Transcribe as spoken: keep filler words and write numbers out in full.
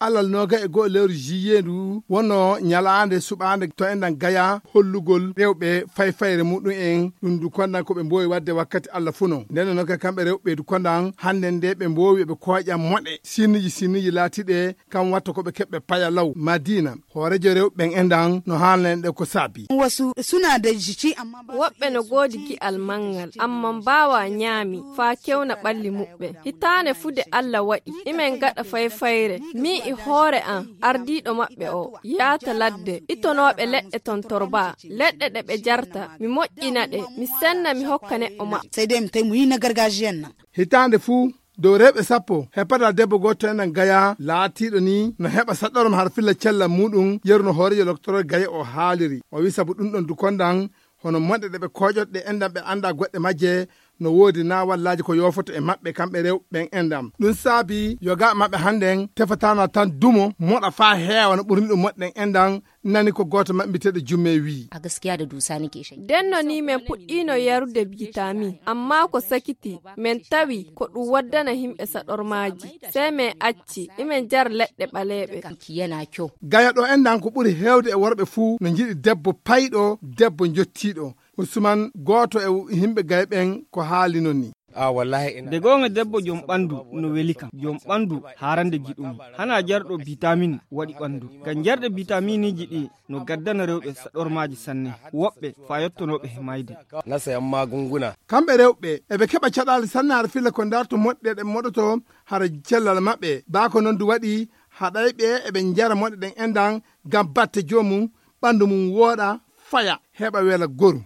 Alal nooga e go'o lewru juillet ndu wonno ñalaande suɓaande to enɗan Gaya hollugol rewɓe fayfayre muɗum en, ɗum ndu kondan ko ɓe mboowi waɗde wakkati Alla fuu non. Nden non kay kamɓe rewɓe ndu kondan hannden nde ɓe mboowi ɓe kooƴan moɗe sinnuji sinnuji laatiiɗe kam watta ko ɓe keɓɓe paya law Madiina. Hooreejo rewɓe ɓen enɗan no haalna en ɗe ko saabi. Wasu suna da jiki amma ba sa woɓɓe no iya goodi cin gi'al manngal, amma mbaawa ñaami faa kewna ɓalli muɓɓen. Hitaande fuu de Alla waɗi imen gaɗa fayfayre, min e hoore am ardiiɗo maɓɓe o yaata ladde itonooɓe leɗɗe tontorba, leɗɗe ɗe ɓe jarta, mi moƴƴina ɗe, mi senna mi hokka neɗɗo maɓɓe. Sai dai mu tai mu yi na gargajiyan nan. Hitaande fuu dow rewɓe sappo heɓataa debbo gooto enɗan Gaya laatiiɗo ni no heɓa saɗorom har filla cellal muɗum, yeru no hooreejo loktorooɓe Gaya o haaliri. O wi'i sabu ɗum ɗon dukondan hono moɗe ɗe ɓe kooƴoto ɗe enɗan ɓe anndaa goɗɗe majje no woodi naa wallaaji ko yoofoto e maɓɓe kamɓe rewɓe ɓen enɗan. Ɗum saabi yogaaɓe maɓɓe hannden tefataano tan dumo moɗa faa heewa no ɓurni ɗum moɗe ɗen enɗan. Nani ko gooto maɓɓe mbiyeteeɗo Jummee wi'i. A gaskiya da dusa nake shan. Denno ni men puɗɗiino yarude bitamin, amma ko sakiti men tawi ko ɗum waddana himɓe saɗormaaji. Sey men acci imen jara leɗɗe ɓaleeɓe. Ki yana kyau. Gaya ɗo enɗan ko ɓuri heewde e worɓe fuu no njiɗi debbo payɗo, debbo njottiiɗo. Usman gooto e himɓe Gaya ɓen ko haali non ni. A wallahi ina. De goonga debbo jom ɓandu no weli kam. Jom ɓandu haarande giɗum. Hana jarɗo bitamin waɗi ɓandu. Ngam jarɗe bitaminiji ɗi no gaddana rewɓe saɗormaaji sanne. Woɓɓe faa yottonooɓe he mayde. Na sayan magunguna. Kamɓe rewɓe eɓe keɓa caɗaali sanne har filla ko ndarto moɗɗe ɗe moɗoto hara cellal maɓɓe. Baa ko non du waɗi haɗayɓe eɓe njara moɗe ɗen enɗan ngam batte joomum ɓandu mum wooɗa faya heɓa wela goru.